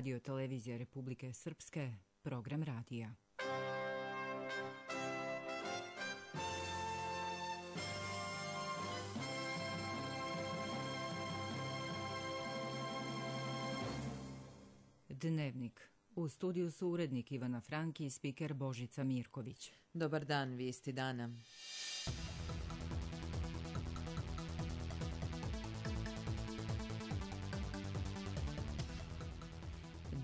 Radio Televizija Republike Srpske, program radija. Dnevnik. U studiju su urednik Ivana Franki i spiker Božica Mirković. Dobar dan, vijesti dana.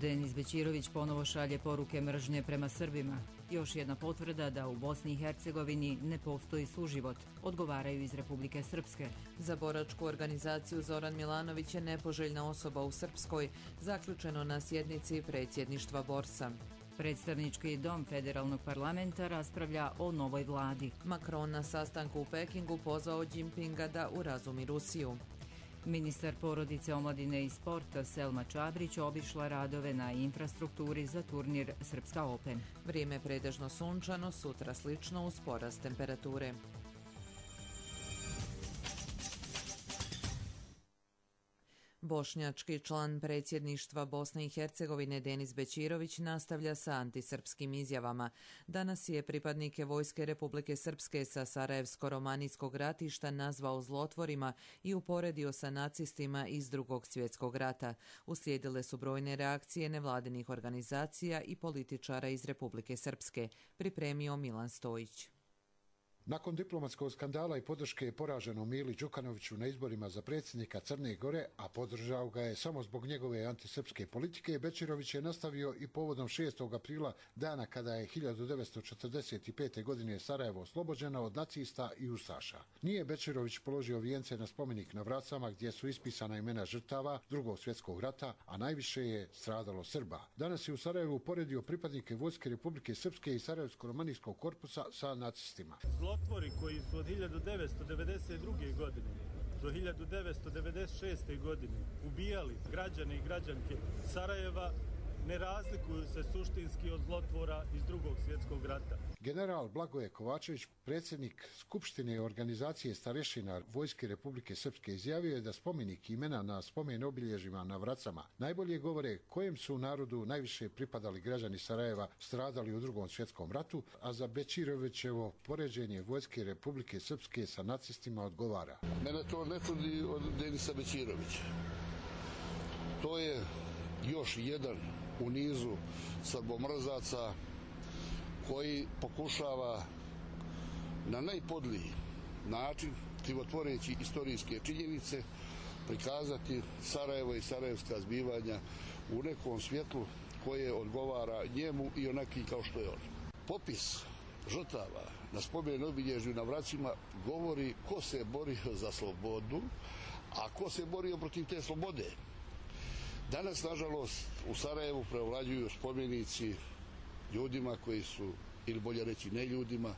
Denis Bećirović ponovo šalje poruke mržnje prema Srbima. Još jedna potvrda da u Bosni i Hercegovini ne postoji suživot, odgovaraju iz Republike Srpske. Za boračku organizaciju Zoran Milanović je nepoželjna osoba u Srpskoj, zaključeno na sjednici predsjedništva Borsa. Predstavnički dom federalnog parlamenta raspravlja o novoj vladi. Macron na sastanku u Pekingu pozvao Jinpinga da urazumi Rusiju. Ministar porodice, omladine i sporta Selma Čabrić obišla radove na infrastrukturi za turnir Srpska Open. Vrijeme pretežno sunčano, sutra slično uz porast temperature. Bošnjački član predsjedništva Bosne i Hercegovine Denis Bećirović nastavlja sa antisrpskim izjavama. Danas je pripadnike Vojske Republike Srpske sa Sarajevsko-romanijskog ratišta nazvao zlotvorima i uporedio sa nacistima iz Drugog svjetskog rata. Uslijedile su brojne reakcije nevladinih organizacija i političara iz Republike Srpske, pripremio Milan Stojić. Nakon diplomatskog skandala i podrške poraženom Mili Đukanoviću na izborima za predsjednika Crne Gore, a podržao ga je samo zbog njegove antisrpske politike, Bećirović je nastavio i povodom 6. aprila, dana kada je 1945. godine Sarajevo oslobođeno od nacista i ustaša. Nije Bećirović položio vijence na spomenik na Vracama gdje su ispisana imena žrtava Drugog svjetskog rata, a najviše je stradalo Srba. Danas je u Sarajevu uporedio pripadnike Vojske Republike Srpske i Sarajevsko-romanijskog korpusa sa nacistima. Zlotvori koji su od 1992. godine do 1996. godine ubijali građane i građanke Sarajeva ne razlikuju se suštinski od zlotvora iz Drugog svjetskog rata. General Blagoje Kovačević, predsjednik Skupštine organizacije starešina Vojske Republike Srpske, izjavio je da spomenik imena na spomen obilježjima na Vracama najbolje govore kojem su narodu najviše pripadali građani Sarajeva stradali u Drugom svjetskom ratu, a za Bećirovićevo poređenje Vojske Republike Srpske sa nacistima odgovara. Mene to ne čudi od Denisa Bećirovića. To je još jedan u nizu srbomrzaca koji pokušava na najpodliji način, krivotvoreći istorijske činjenice, prikazati Sarajevo i sarajevska zbivanja u nekom svjetlu koje odgovara njemu i onaki kao što je on. Popis žrtava na spomen obilježju na Vracima govori ko se borio za slobodu, a ko se borio protiv te slobode. Danas, nažalost, u Sarajevu prevlađuju spomenici ljudima koji su, ili bolje reći ne ljudima,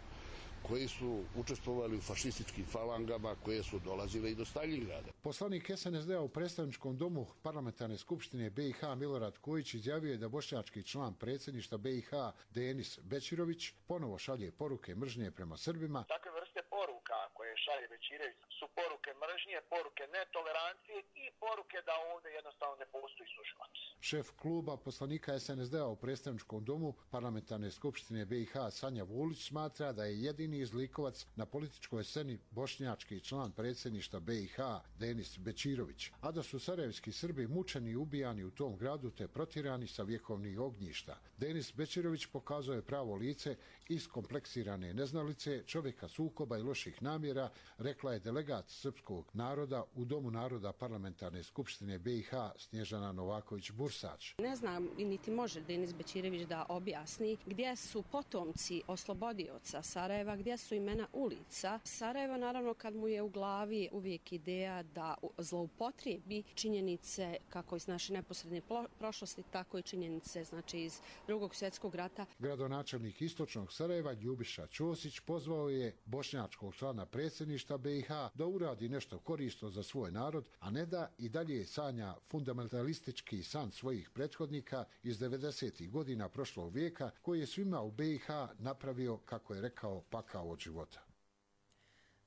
koji su učestvovali u fašističkim falangama koje su dolazile i do Staljingrada. Poslanik SNSD-a u predstavničkom domu Parlamentarne skupštine BiH Milorad Kojić izjavio je da bošnjački član predsjedništva BiH Denis Bećirović ponovo šalje poruke mržnje prema Srbima. Takve vrste poruka koje šalje Bećirović su poruke mržnje, poruke netolerancije i poruke da ovdje jednostavno ne postoji suživot. Šef kluba poslanika SNSD-a u predstavničkom domu Parlamentarne skupštine BiH Sanja Vulić smatra da je jedini izlikovac na političkoj sceni bošnjački član predsjedništva BiH Denis Bećirović, a da su sarajevski Srbi mučeni i ubijani u tom gradu te protjerani sa vjekovnih ognjišta. Denis Bećirović pokazuje pravo lice iskompleksirane neznalice, čovjeka sukoba i loših namjera, rekla je delegat srpskog naroda u Domu naroda Parlamentarne skupštine BiH Snježana Novaković-Bursač. Ne znam niti može Denis Bećirović da objasni gdje su potomci oslobodioca Sarajeva, gdje su imena ulica. Sarajevo, naravno, kad mu je u glavi uvijek ideja da zloupotrijebi činjenice kako iz naše neposredne prošlosti, tako i činjenice iz Drugog svjetskog rata. Gradonačelnik istočnog Sarajeva Ljubiša Ćosić pozvao je bošnjačkog člana predsjedništva BiH da uradi nešto korisno za svoj narod, a ne da i dalje sanja fundamentalistički san svojih prethodnika iz 90. godina prošlog vijeka, koji je svima u BiH napravio, kako je rekao, pakao od života.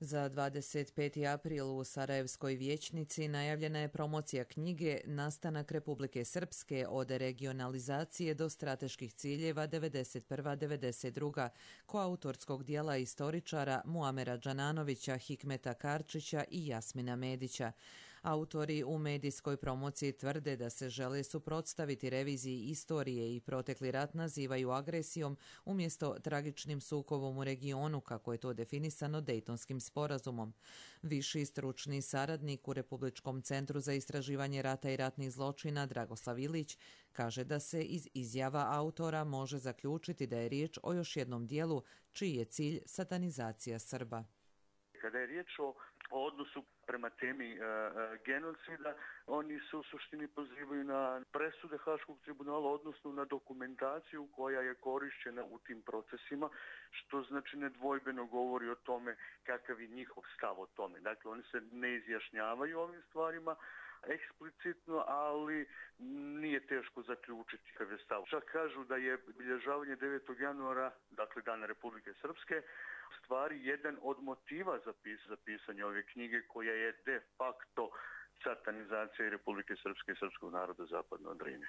Za 25. april u Sarajevskoj vijećnici najavljena je promocija knjige Nastanak Republike Srpske od regionalizacije do strateških ciljeva 91-92 koautorskog dijela istoričara Muamera Džananovića, Hikmeta Karčića i Jasmina Medića. Autori u medijskoj promociji tvrde da se žele suprotstaviti reviziji istorije i protekli rat nazivaju agresijom umjesto tragičnim sukobom u regionu, kako je to definisano Dejtonskim sporazumom. Viši stručni saradnik u Republičkom centru za istraživanje rata i ratnih zločina Dragoslav Ilić kaže da se iz izjava autora može zaključiti da je riječ o još jednom dijelu čiji je cilj satanizacija Srba. Kada je riječ o odnosu prema temi genocida, oni se u suštini pozivaju na presude Haškog tribunala, odnosno na dokumentaciju koja je korišćena u tim procesima, što znači nedvojbeno govori o tome kakav je njihov stav o tome. Dakle, oni se ne izjašnjavaju ovim stvarima eksplicitno, ali nije teško zaključiti kakav je stav. Čak kažu da je obilježavanje 9. januara, dakle Dana Republike Srpske, stvari jedan od motiva za pisanje ove knjige, koja je de facto satanizacija Republike Srpske i srpskog naroda zapadno od Drine.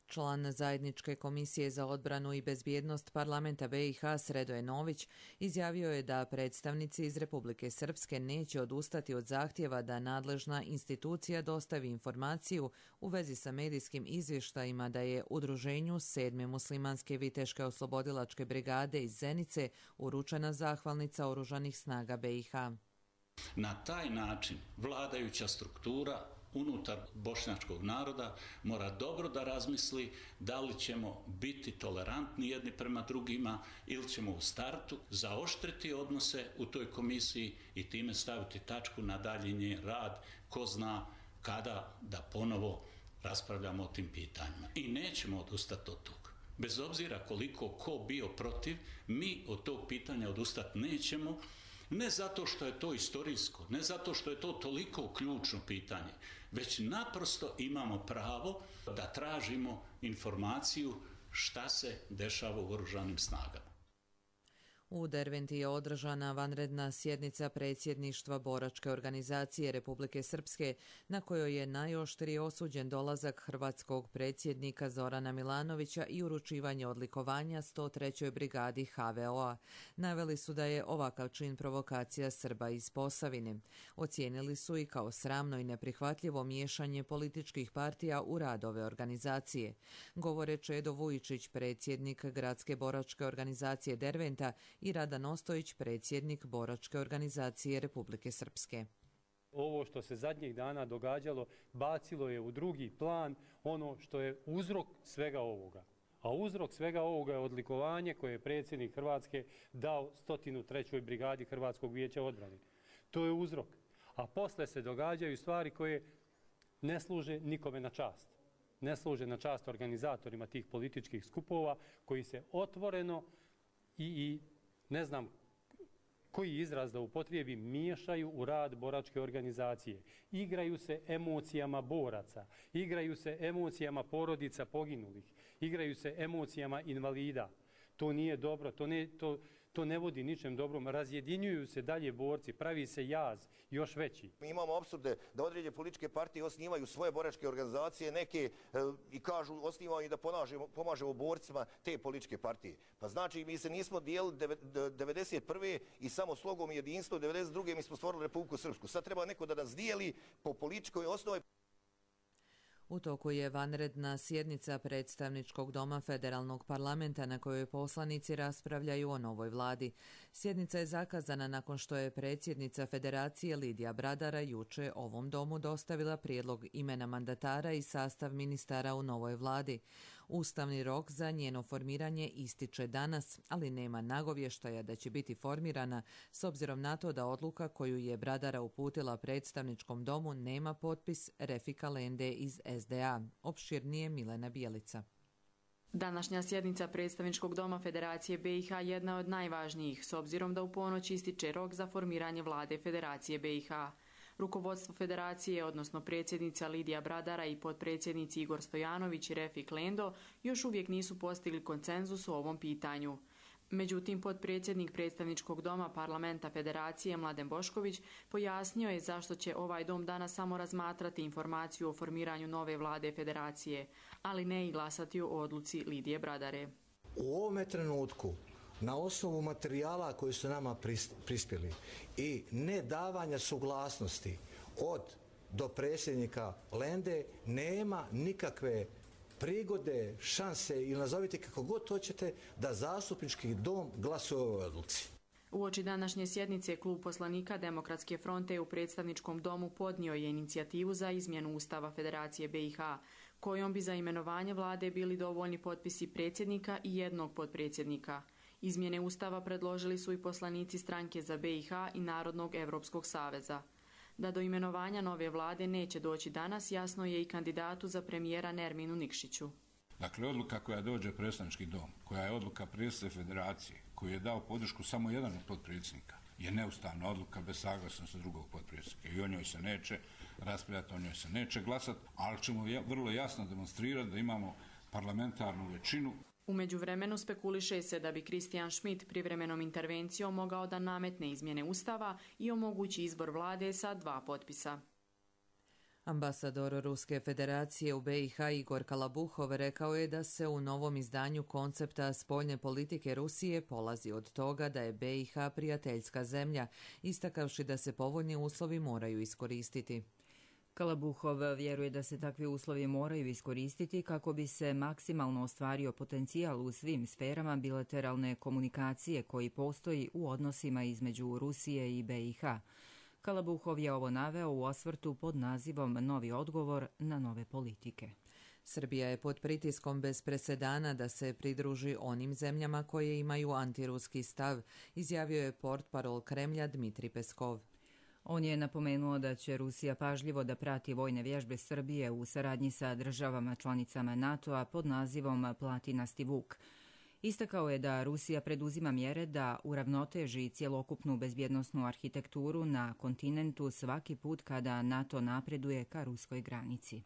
Član Zajedničke komisije za odbranu i bezbjednost parlamenta BiH Sredoje Nović izjavio je da predstavnici iz Republike Srpske neće odustati od zahtjeva da nadležna institucija dostavi informaciju u vezi sa medijskim izvještajima da je udruženju 7. muslimanske viteške oslobodilačke brigade iz Zenice uručena zahvalnica Oružanih snaga BiH. Na taj način vladajuća struktura unutar bošnjačkog naroda mora dobro da razmisli da li ćemo biti tolerantni jedni prema drugima ili ćemo u startu zaoštriti odnose u toj komisiji i time staviti tačku na daljnji rad, ko zna kada da ponovo raspravljamo o tim pitanjima. I nećemo odustati od toga. Bez obzira koliko ko bio protiv, mi od tog pitanja odustati nećemo. Ne zato što je to istorijsko, ne zato što je to toliko ključno pitanje, već naprosto imamo pravo da tražimo informaciju šta se dešava u oružanim snagama. U Derventi je održana vanredna sjednica predsjedništva boračke organizacije Republike Srpske, na kojoj je najoštrije osuđen dolazak hrvatskog predsjednika Zorana Milanovića i uručivanje odlikovanja 103. brigadi HVO-a. Naveli su da je ovakav čin provokacija Srba iz Posavine. Ocijenili su i kao sramno i neprihvatljivo miješanje političkih partija u rad ove organizacije. Govore Čedo Vujičić, predsjednik Gradske boračke organizacije Derventa, i Radan Ostojić, predsjednik boračke organizacije Republike Srpske. Ovo što se zadnjih dana događalo bacilo je u drugi plan ono što je uzrok svega ovoga. A uzrok svega ovoga je odlikovanje koje je predsjednik Hrvatske dao 103. brigadi Hrvatskog vijeća odbrane. To je uzrok. A posle se događaju stvari koje ne služe nikome na čast. Ne služe na čast organizatorima tih političkih skupova koji se otvoreno i ne znam koji izraz da upotrijebim, miješaju u rad boračke organizacije. Igraju se emocijama boraca, igraju se emocijama porodica poginulih, igraju se emocijama invalida. To nije dobro, to ne vodi ničem dobrom. Razjedinjuju se dalje borci, pravi se jaz još veći. Mi imamo apsurde da određene političke partije osnivaju svoje boračke organizacije, neke i kažu osnivaju da pomažemo borcima te političke partije. Pa znači mi se nismo dijelili 91. i samo slogom i jedinstvom 92. mi smo stvorili Republiku Srpsku. Sad treba neko da nas dijeli po političkoj osnovi. U toku je vanredna sjednica predstavničkog doma federalnog parlamenta na kojoj poslanici raspravljaju o novoj vladi. Sjednica je zakazana nakon što je predsjednica Federacije Lidija Bradara juče ovom domu dostavila prijedlog imena mandatara i sastav ministara u novoj vladi. Ustavni rok za njeno formiranje ističe danas, ali nema nagovještaja da će biti formirana s obzirom na to da odluka koju je Bradara uputila predstavničkom domu nema potpis Refika Lende iz SDA. Opširnije Milena Bijelica. Današnja sjednica predstavničkog doma Federacije BiH jedna je od najvažnijih, s obzirom da u ponoć ističe rok za formiranje vlade Federacije BiH. Rukovodstvo Federacije, odnosno predsjednica Lidija Bradara i potpredsjednici Igor Stojanović i Refik Lendo, još uvijek nisu postigli konsenzus u ovom pitanju. Međutim, potpredsjednik predstavničkog doma parlamenta Federacije Mladen Bošković pojasnio je zašto će ovaj dom danas samo razmatrati informaciju o formiranju nove vlade Federacije, ali ne i glasati o odluci Lidije Bradare. U ovome trenutku, na osnovu materijala koji su nama prispjeli i ne davanja suglasnosti od do predsjednika Lende, nema nikakve prigode, šanse ili nazovite kako god hoćete da zastupnički dom glasuje o ovoj odluci. Uoči današnje sjednice Klub poslanika Demokratske fronte u predstavničkom domu podnio je inicijativu za izmjenu Ustava Federacije BiH, kojom bi za imenovanje vlade bili dovoljni potpisi predsjednika i jednog potpredsjednika. Izmjene Ustava predložili su i poslanici Stranke za BiH i Narodnog Evropskog saveza. Da do imenovanja nove vlade neće doći danas, jasno je i kandidatu za premijera Nerminu Nikšiću. Dakle, odluka koja dođe u predstavnički dom, koja je odluka predsjednika Federacije, koji je dao podršku samo jedan od potpredsjednika, je neustavna odluka bez saglasnosti drugog potpredsjednika. I o njoj se neće raspravljati, o njoj se neće glasati, ali ćemo vrlo jasno demonstrirati da imamo parlamentarnu većinu. U međuvremenu spekuliše se da bi Christian Schmidt privremenom intervencijom mogao da nametne izmjene Ustava i omogući izbor vlade sa 2 potpisa. Ambasador Ruske federacije u BiH Igor Kalabuhov rekao je da se u novom izdanju koncepta spoljne politike Rusije polazi od toga da je BiH prijateljska zemlja, istakavši da se povoljni uslovi moraju iskoristiti. Kalabuhov vjeruje da se takvi uslovi moraju iskoristiti kako bi se maksimalno ostvario potencijal u svim sferama bilateralne komunikacije koji postoji u odnosima između Rusije i BiH. Kalabuhov je ovo naveo u osvrtu pod nazivom Novi odgovor na nove politike. Srbija je pod pritiskom bez presedana da se pridruži onim zemljama koje imaju antiruski stav, izjavio je portparol Kremlja Dmitri Peskov. On je napomenuo da će Rusija pažljivo da prati vojne vježbe Srbije u saradnji sa državama članicama NATO-a pod nazivom Platinasti Vuk. Istakao je da Rusija preduzima mjere da uravnoteži cjelokupnu bezbjednosnu arhitekturu na kontinentu svaki put kada NATO napreduje ka ruskoj granici.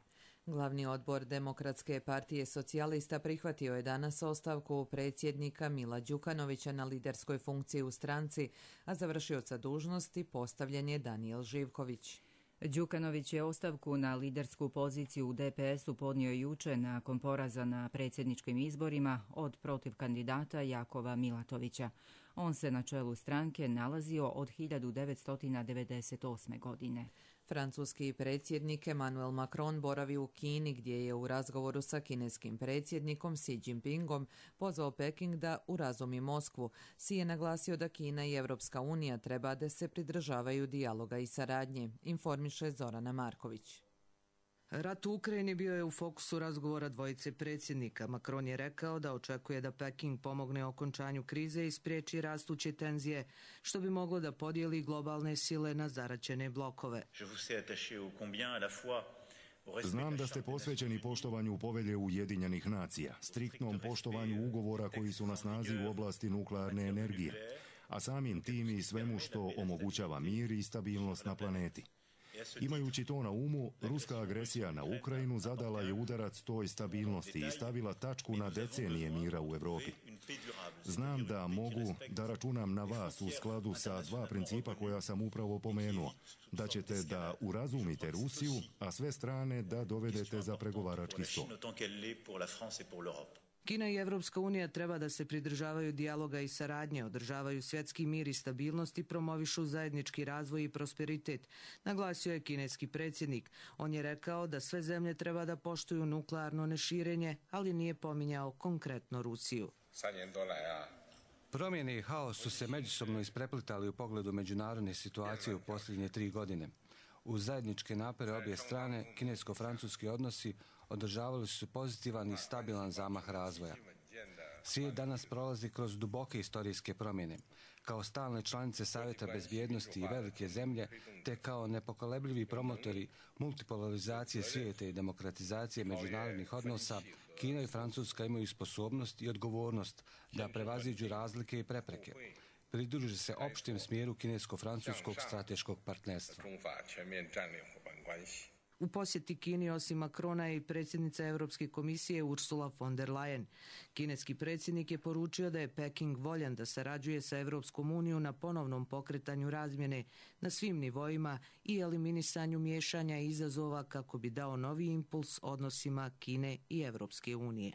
Glavni odbor Demokratske partije socijalista prihvatio je danas ostavku predsjednika Mila Đukanovića na liderskoj funkciji u stranci, a za vršioca dužnosti postavljen je Danijel Živković. Đukanović je ostavku na lidersku poziciju u DPS-u podnio juče nakon poraza na predsjedničkim izborima od protiv kandidata Jakova Milatovića. On se na čelu stranke nalazio od 1998. godine. Francuski predsjednik Emmanuel Macron boravi u Kini gdje je u razgovoru sa kineskim predsjednikom Xi Jinpingom pozvao Peking da urazumi Moskvu. Xi je naglasio da Kina i Evropska unija treba da se pridržavaju dijaloga i saradnje, informiše Zorana Marković. Rat u Ukrajini bio je u fokusu razgovora dvojice predsjednika. Macron je rekao da očekuje da Peking pomogne okončanju krize i spriječi rastuće tenzije, što bi moglo da podijeli globalne sile na zaraćene blokove. Znam da ste posvećeni poštovanju povelje Ujedinjenih nacija, striktnom poštovanju ugovora koji su na snazi u oblasti nuklearne energije, a samim tim i svemu što omogućava mir i stabilnost na planeti. Imajući to na umu, ruska agresija na Ukrajinu zadala je udarac toj stabilnosti i stavila tačku na decenije mira u Europi. Znam da mogu da računam na vas u skladu sa 2 principa koja sam upravo pomenuo, da ćete da urazumite Rusiju, a sve strane da dovedete za pregovarački stol. Kina i Evropska unija treba da se pridržavaju dijaloga i saradnje, održavaju svjetski mir i stabilnost i promovišu zajednički razvoj i prosperitet, naglasio je kineski predsjednik. On je rekao da sve zemlje treba da poštuju nuklearno neširenje, ali nije pominjao konkretno Rusiju. Promjene i haos su se međusobno ispreplitali u pogledu međunarodne situacije u posljednje 3 godine. Uz zajedničke napore obje strane, kinesko-francuski odnosi održavali su pozitivan i stabilan zamah razvoja. Svijet danas prolazi kroz duboke historijske promjene. Kao stalne članice Savjeta bezbjednosti i velike zemlje, te kao nepokolebljivi promotori multipolarizacije svijeta i demokratizacije međunarodnih odnosa, Kina i Francuska imaju sposobnost i odgovornost da prevaziđu razlike i prepreke. Pridruže se opštem smjeru kinesko-francuskog strateškog partnerstva. U posjeti Kini osim Macrona je i predsjednica Europske komisije Ursula von der Leyen. Kineski predsjednik je poručio da je Peking voljan da sarađuje sa Europskom unijom na ponovnom pokretanju razmjene na svim nivoima i eliminisanju miješanja i izazova kako bi dao novi impuls odnosima Kine i Europske unije.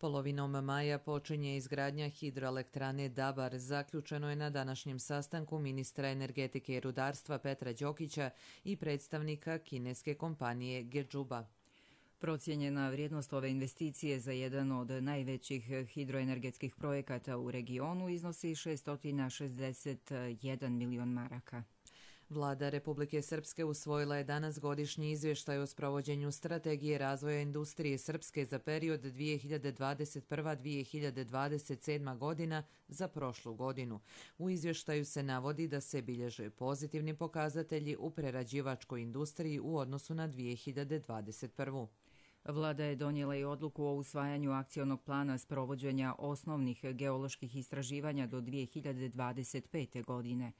Polovinom maja počinje izgradnja hidroelektrane Dabar. Zaključeno je na današnjem sastanku ministra energetike i rudarstva Petra Đokića i predstavnika kineske kompanije Gedžuba. Procijenjena vrijednost ove investicije za jedan od najvećih hidroenergetskih projekata u regionu iznosi 661 milion maraka. Vlada Republike Srpske usvojila je danas godišnji izvještaj o sprovođenju strategije razvoja industrije Srpske za period 2021-2027 godina za prošlu godinu. U izvještaju se navodi da se bilježe pozitivni pokazatelji u prerađivačkoj industriji u odnosu na 2021. Vlada je donijela i odluku o usvajanju akcionog plana sprovođenja osnovnih geoloških istraživanja do 2025. godine.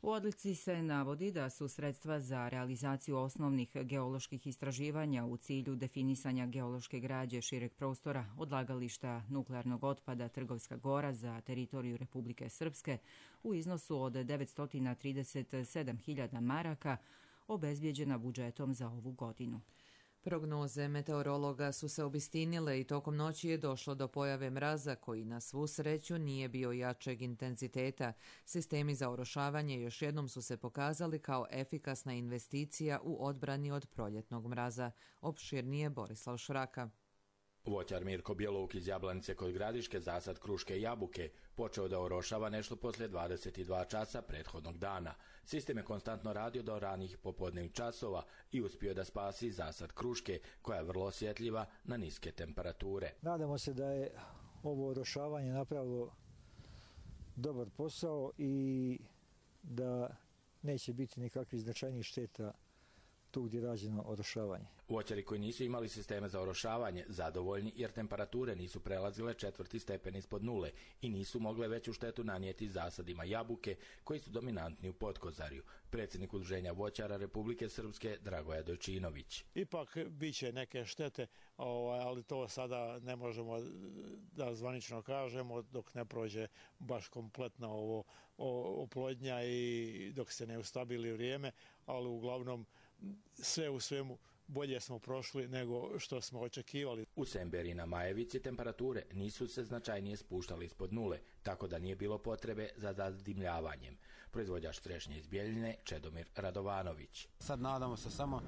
U odluci se navodi da su sredstva za realizaciju osnovnih geoloških istraživanja u cilju definisanja geološke građe šireg prostora odlagališta nuklearnog otpada Trgovska Gora za teritoriju Republike Srpske u iznosu od 937.000 maraka obezbijeđena budžetom za ovu godinu. Prognoze meteorologa su se obistinile i tokom noći je došlo do pojave mraza koji na svu sreću nije bio jačeg intenziteta. Sistemi za orošavanje još jednom su se pokazali kao efikasna investicija u odbrani od proljetnog mraza. Opširnije Borislav Šraka. Voćar Mirko Bjeluk iz Jablanice kod Gradiške zasad kruške i jabuke počeo da orošava nešto poslije 22 časa prethodnog dana. Sistem je konstantno radio do ranih popodnevnih časova i uspio da spasi zasad kruške koja je vrlo osjetljiva na niske temperature. Nadamo se da je ovo orošavanje napravilo dobar posao i da neće biti nikakvih značajnih šteta tu gdje je rađeno orošavanje. Voćari koji nisu imali sisteme za orošavanje zadovoljni jer temperature nisu prelazile 4. stepen ispod nule i nisu mogle veću štetu nanijeti zasadima jabuke koji su dominantni u Podkozarju. Predsjednik Udruženja voćara Republike Srpske Dragoja Dojčinović. Ipak biće neke štete, ali to sada ne možemo da zvanično kažemo dok ne prođe baš kompletna oplodnja i dok se ne ustabili vrijeme, ali uglavnom sve u svemu bolje smo prošli nego što smo očekivali. U Semberi na Majevici temperature nisu se značajnije spuštali ispod nule, tako da nije bilo potrebe za zadimljavanjem. Proizvođač trešnje iz Bjeljine Čedomir Radovanović. Sad nadamo se samo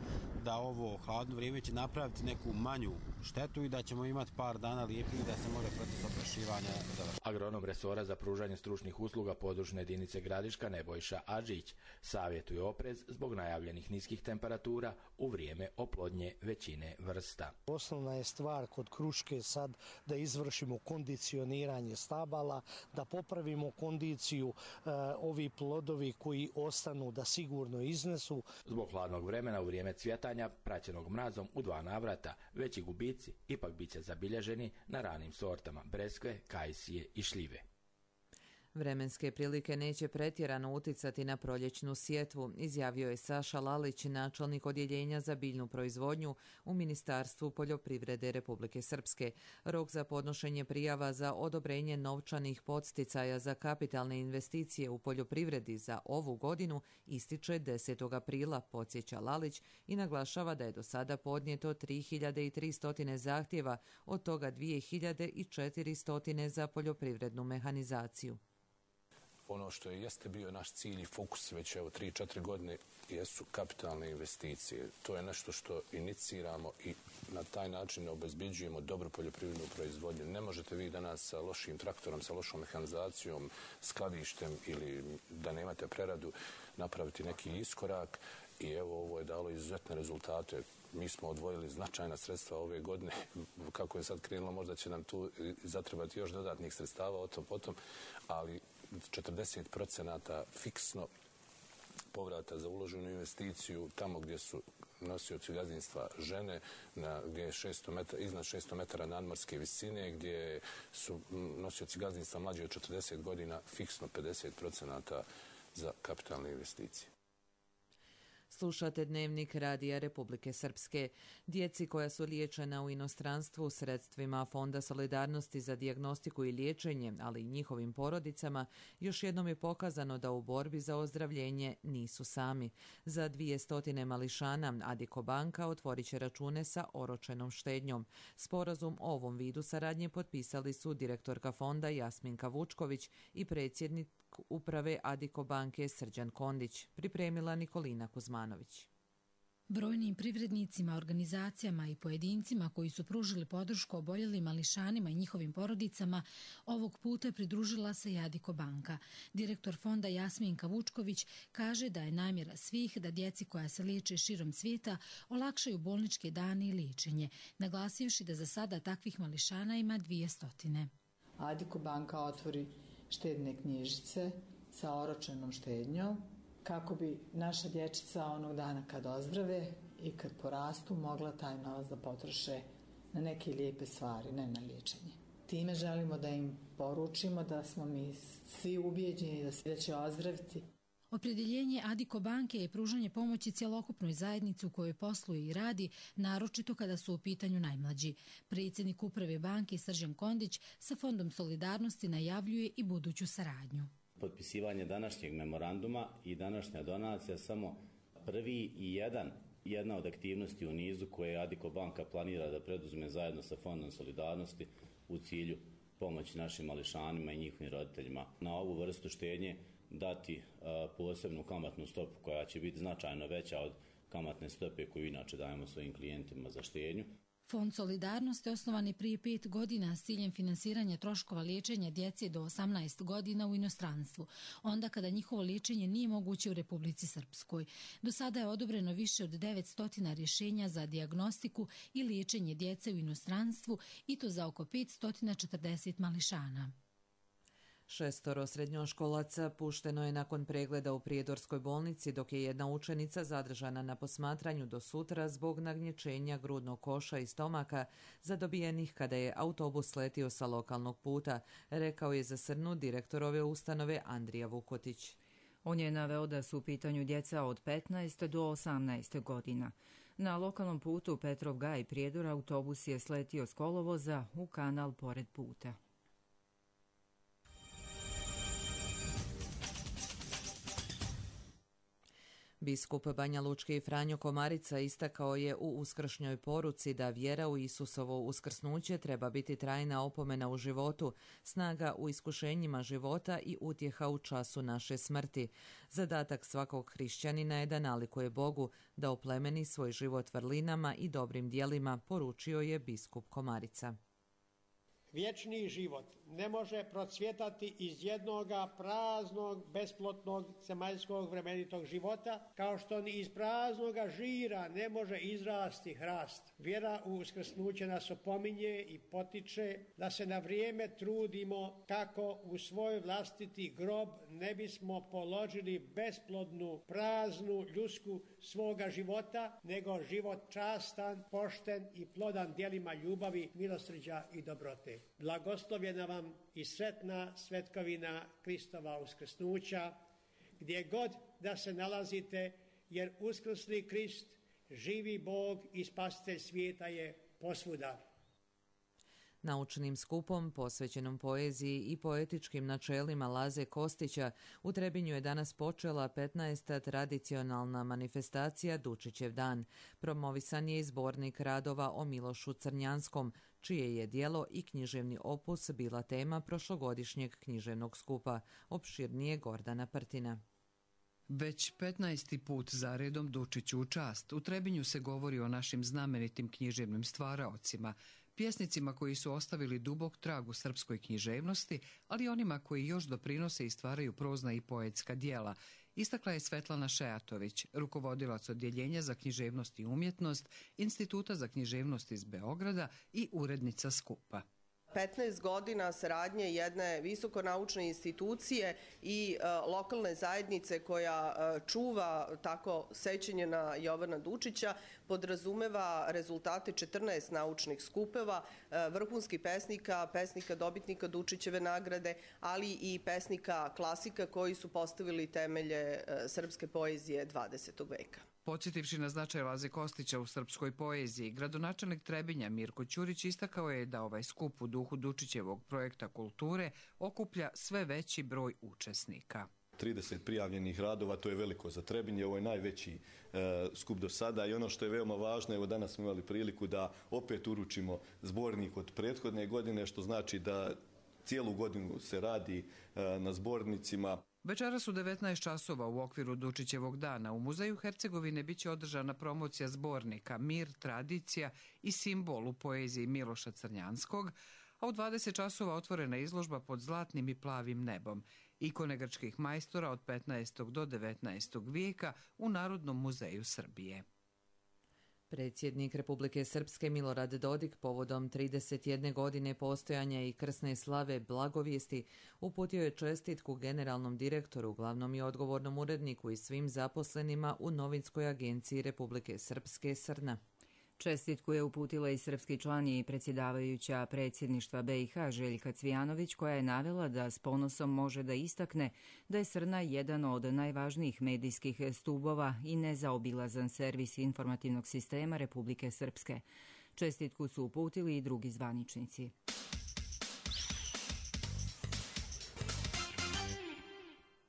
da ovo hladno vrijeme će napraviti neku manju štetu i da ćemo imati par dana lijepih da se može proces oprašivanja završiti. Agronom resora za pružanje stručnih usluga područne jedinice Gradiška Nebojša Adžić savjetuje oprez zbog najavljenih niskih temperatura u vrijeme oplodnje većine vrsta. Osnovna je stvar kod kruške sad da izvršimo kondicioniranje stabala, da popravimo kondiciju ovih plodovi koji ostanu da sigurno iznesu. Zbog hladnog vremena u vrijeme cvjetanja, praćenog mrazom u 2 navrata, veći gubici ipak bit će zabilježeni na ranim sortama breskve, kajsije i šljive. Vremenske prilike neće pretjerano uticati na proljećnu sjetvu, izjavio je Saša Lalić, načelnik odjeljenja za biljnu proizvodnju u Ministarstvu poljoprivrede Republike Srpske. Rok za podnošenje prijava za odobrenje novčanih podsticaja za kapitalne investicije u poljoprivredi za ovu godinu ističe 10. aprila, podsjeća Lalić i naglašava da je do sada podnijeto 3300 zahtjeva, od toga 2400 za poljoprivrednu mehanizaciju. Ono što jeste bio naš cilj i fokus već 3-4 godine jesu kapitalne investicije. To je nešto što iniciramo i na taj način obezbeđujemo dobru poljoprivrednu proizvodnju. Ne možete vi danas sa lošim traktorom, sa lošom mehanizacijom, skladištem ili da nemate preradu napraviti neki iskorak i evo ovo je dalo izuzetne rezultate. Mi smo odvojili značajna sredstva ove godine. Kako je sad krenulo, možda će nam tu zatrebati još dodatnih sredstava o tom potom, ali 40% fiksno povrata za uloženu investiciju tamo gdje su nosioci gazdinstva žene, gdje je iznad 600 metara nadmorske visine, gdje su nosioci gazdinstva mlađi od 40 godina fiksno 50% za kapitalne investicije. Slušate Dnevnik Radija Republike Srpske. Djeci koja su liječena u inostranstvu sredstvima Fonda solidarnosti za dijagnostiku i liječenje, ali i njihovim porodicama, još jednom je pokazano da u borbi za ozdravljenje nisu sami. Za 200 mališana Adiko banka otvorit će račune sa oročenom štednjom. Sporazum o ovom vidu saradnje potpisali su direktorka fonda Jasminka Vučković i predsjednik uprave Adiko banke Srđan Kondić, pripremila Nikolina Kuzmanović. Brojnim privrednicima, organizacijama i pojedincima koji su pružili podršku oboljelim mališanima i njihovim porodicama, ovog puta pridružila se i Adiko banka. Direktor fonda Jasminka Vučković kaže da je namjera svih da djeci koja se liječe širom svijeta olakšaju bolničke dane i liječenje, naglasivši da za sada takvih mališana ima 200. Adiko banka otvori štedne knjižice sa oročenom štednjom kako bi naša dječica onog dana kad ozdrave i kad porastu mogla taj novac da potroše na neke lijepe stvari, ne na liječenje. Time želimo da im poručimo da smo mi svi ubijeđeni da će ozdraviti. Opredjeljenje Adiko banke je pružanje pomoći cjelokupnoj zajednici u kojoj posluje i radi, naročito kada su u pitanju najmlađi. Predsjednik uprave banke Srđan Kondić sa Fondom solidarnosti najavljuje i buduću saradnju. Potpisivanje današnjeg memoranduma i današnja donacija samo prvi i jedna od aktivnosti u nizu koje Adiko banka planira da preduzme zajedno sa Fondom solidarnosti u cilju pomoći našim mališanima i njihovim roditeljima. Na ovu vrstu štednje dati posebnu kamatnu stopu koja će biti značajno veća od kamatne stope koju inače dajemo svojim klijentima za štednju. Fond solidarnosti osnovan je prije 5 godina s ciljem finansiranja troškova liječenja djece do 18 godina u inostranstvu, onda kada njihovo liječenje nije moguće u Republici Srpskoj. Do sada je odobreno više od 900 rješenja za dijagnostiku i liječenje djece u inostranstvu i to za oko 540 mališana. 6 srednjoškolaca pušteno je nakon pregleda u Prijedorskoj bolnici, dok je jedna učenica zadržana na posmatranju do sutra zbog nagnječenja grudnog koša i stomaka zadobijenih kada je autobus letio sa lokalnog puta, rekao je za Srnu direktor ove ustanove Andrija Vukotić. On je naveo da su u pitanju djeca od 15 do 18 godina. Na lokalnom putu Petrov Gaj Prijedor autobus je sletio s kolovoza u kanal pored puta. Biskup Banja Lučke Franjo Komarica istakao je u uskršnjoj poruci da vjera u Isusovo uskrsnuće treba biti trajna opomena u životu, snaga u iskušenjima života i utjeha u času naše smrti. Zadatak svakog hrišćanina je da nalikuje Bogu, da oplemeni svoj život vrlinama i dobrim dijelima, poručio je biskup Komarica. Vječni život ne može procvjetati iz jednoga praznog, besplotnog, zemaljskog vremenitog života, kao što ni iz praznoga žira ne može izrasti hrast. Vjera u uskrsnuće nas opominje i potiče da se na vrijeme trudimo kako u svoj vlastiti grob ne bismo položili besplodnu, praznu ljusku svoga života, nego život častan, pošten i plodan djelima ljubavi, milosrđa i dobrote. Blagoslovljena vam i sretna svetkovina Kristova uskrsnuća, gdje god da se nalazite, jer uskrsli Krist, živi Bog i spasitelj svijeta je posvuda. Naučnim skupom posvećenom poeziji i poetičkim načelima Laze Kostića u Trebinju je danas počela 15. tradicionalna manifestacija Dučićev dan. Promovisan je i zbornik radova o Milošu Crnjanskom, čije je djelo i književni opus bila tema prošlogodišnjeg književnog skupa. Opširnije Gordana Prtina. Već 15. put zaredom Dučiću u čast. U Trebinju se govori o našim znamenitim književnim stvaraocima, pjesnicima koji su ostavili dubok trag u srpskoj književnosti, ali onima koji još doprinose i stvaraju prozna i poetska djela, istakla je Svetlana Šejatović, rukovodilac odjeljenja za književnost i umjetnost Instituta za književnost iz Beograda i urednica skupa. 15 godina saradnje jedne visokonaučne institucije i lokalne zajednice koja čuva tako sećanje na Jovana Dučića podrazumeva rezultate 14 naučnih skupova, vrhunskih pesnika, pesnika dobitnika Dučićeve nagrade, ali i pesnika klasika koji su postavili temelje srpske poezije 20. veka. Podsjetivši na značaj Laze Kostića u srpskoj poeziji, gradonačelnik Trebinja Mirko Ćurić istakao je da ovaj skup u duhu Dučićevog projekta kulture okuplja sve veći broj učesnika. 30 prijavljenih radova, to je veliko za Trebinje, ovo je najveći skup do sada i ono što je veoma važno, evo danas smo imali priliku da opet uručimo zbornik od prethodne godine, što znači da cijelu godinu se radi na zbornicima. Večeras u 19 časova u okviru Dučićevog dana u Muzeju Hercegovine biće održana promocija zbornika Mir, tradicija i simbol u poeziji Miloša Crnjanskog, a u 20 časova otvorena izložba pod zlatnim i plavim nebom, ikone grčkih majstora od 15. do 19. vijeka u Narodnom muzeju Srbije. Predsjednik Republike Srpske Milorad Dodik povodom 31 godine postojanja i krsne slave Blagovijesti uputio je čestitku generalnom direktoru, glavnom i odgovornom uredniku i svim zaposlenima u novinskoj agenciji Republike Srpske Srna. Čestitku je uputila i srpski član i predsjedavajuća predsjedništva BiH Željka Cvijanović, koja je navela da s ponosom može da istakne da je Srna jedan od najvažnijih medijskih stubova i nezaobilazan servis informativnog sistema Republike Srpske. Čestitku su uputili i drugi zvaničnici.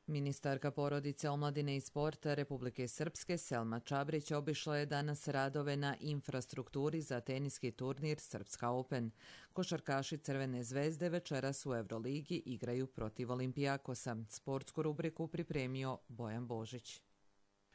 Ministarka porodice, omladine i sporta Republike Srpske Selma Čabrić obišla je danas radove na infrastrukturi za teniski turnir Srpska Open. Košarkaši Crvene zvezde večeras u Euroligi igraju protiv Olimpijakosa. Sportsku rubriku pripremio Bojan Božić.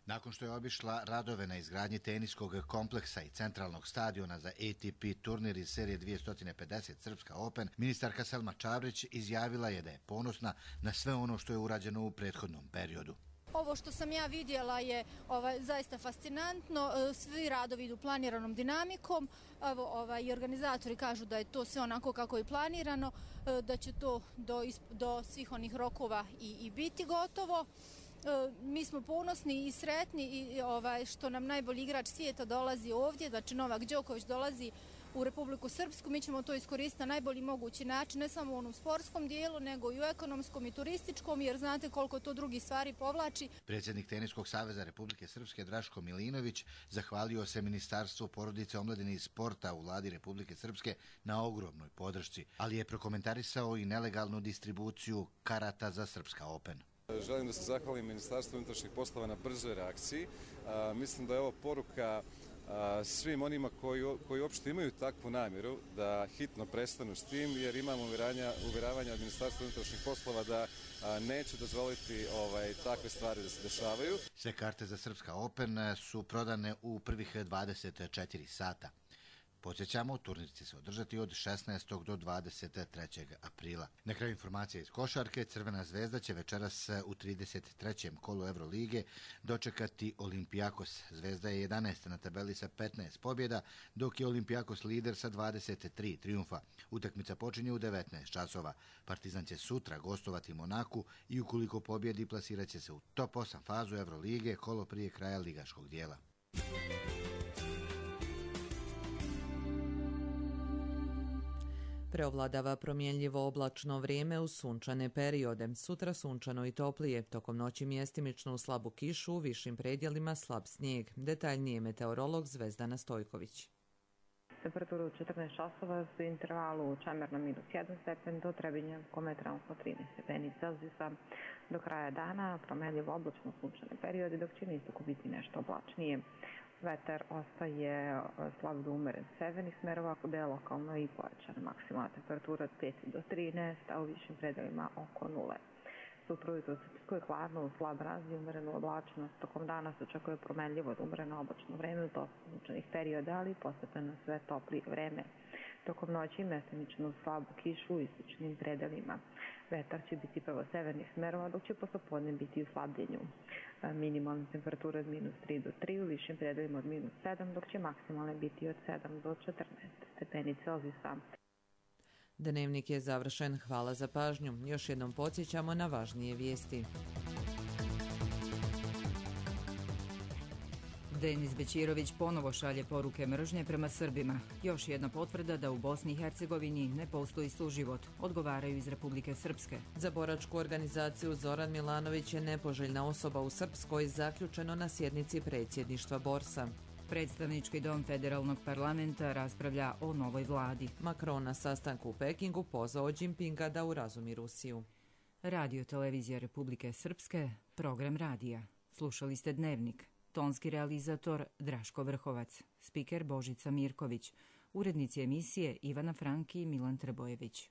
Nakon što je obišla radove na izgradnji teniskog kompleksa i centralnog stadiona za ATP turnir iz serije 250 Srpska Open, ministarka Selma Čabrić izjavila je da je ponosna na sve ono što je urađeno u prethodnom periodu. Ovo što sam ja vidjela je zaista fascinantno. Svi radovi idu planiranom dinamikom. I organizatori kažu da je to sve onako kako je planirano, da će to do svih onih rokova i biti gotovo. Mi smo ponosni i sretni i što nam najbolji igrač svijeta dolazi ovdje, znači Novak Đoković dolazi u Republiku Srpsku. Mi ćemo to iskoristiti na najbolji mogući način, ne samo u onom sportskom dijelu, nego i u ekonomskom i turističkom, jer znate koliko to drugih stvari povlači. Predsjednik Teniskog saveza Republike Srpske Draško Milinović zahvalio se Ministarstvu porodice, omladine i sporta u vladi Republike Srpske na ogromnoj podršci, ali je prokomentarisao i nelegalnu distribuciju karata za Srpska Open. Želim da se zahvalim Ministarstvu unutrašnjih poslova na brzoj reakciji. Mislim da je ovo poruka svim onima koji uopšte imaju takvu namjeru da hitno prestanu s tim, jer imamo uvjeravanja od Ministarstva unutrašnjih poslova da neće dozvoliti takve stvari da se dešavaju. Sve karte za Srpska Open su prodane u prvih 24 sata. Podsjećamo, turnir će se održati od 16. do 23. aprila. Na kraju informacija iz košarke, Crvena zvezda će večeras u 33. kolu Evrolige dočekati Olimpijakos. Zvezda je 11. na tabeli sa 15 pobjeda, dok je Olimpijakos lider sa 23 triumfa. Utakmica počinje u 19 časova. Partizan će sutra gostovati Monaku i ukoliko pobjedi plasirat će se u top 8 fazu Evrolige, kolo prije kraja ligaškog dijela. Preovladava promjenljivo oblačno vrijeme u sunčane periode. Sutra sunčano i toplije, tokom noći mjestimično u slabu kišu, u višim predjelima slab snijeg. Detaljnije meteorolog Zvezdana Stojković. Temperatura u 14 časova u intervalu Čemerna -1 stepen do Trebinja kometralno 13 stepeni Celzijusa. Do kraja dana promjenljivo oblačno sunčane periode, dok će na istoku biti nešto oblačnije. Vetar ostaje slab do umeren severnih smerova, gde je lokalno i pojačana maksimalna temperatura od 5 do 13, a u višim predelima oko 0. Sutra ujutro se hladno, slab razvoj, umerenu oblačnost. Tokom dana se očekuje promenljivo do umereno oblačno vreme u dosta sunčanih perioda, ali postepeno sve toplije vreme. Tokom noći mestimično slabu kišu u istočnim predelima. Vetar će biti prvo severnih smerova, dok će poslepodne biti u slabljenju. Minimalna temperatura od -3 do 3, u višim predelima od -7, dok će maksimalne biti od 7 do 14 stepeni Celzijusa. Dnevnik je završen. Hvala za pažnju. Još jednom podsjećamo na važnije vijesti. Denis Bećirović ponovo šalje poruke mržnje prema Srbima. Još jedna potvrda da u Bosni i Hercegovini ne postoji suživot, odgovaraju iz Republike Srpske. Za boračku organizaciju Zoran Milanović je nepoželjna osoba u Srpskoj, zaključeno na sjednici predsjedništva Borsa. Predstavnički dom federalnog parlamenta raspravlja o novoj vladi. Macron na sastanku u Pekingu pozvao Jinpinga da urazumi Rusiju. Radio televizija Republike Srpske, program radija. Slušali ste Dnevnik. Tonski realizator Draško Vrhovac, spiker Božica Mirković, urednici emisije Ivana Franki i Milan Trbojević.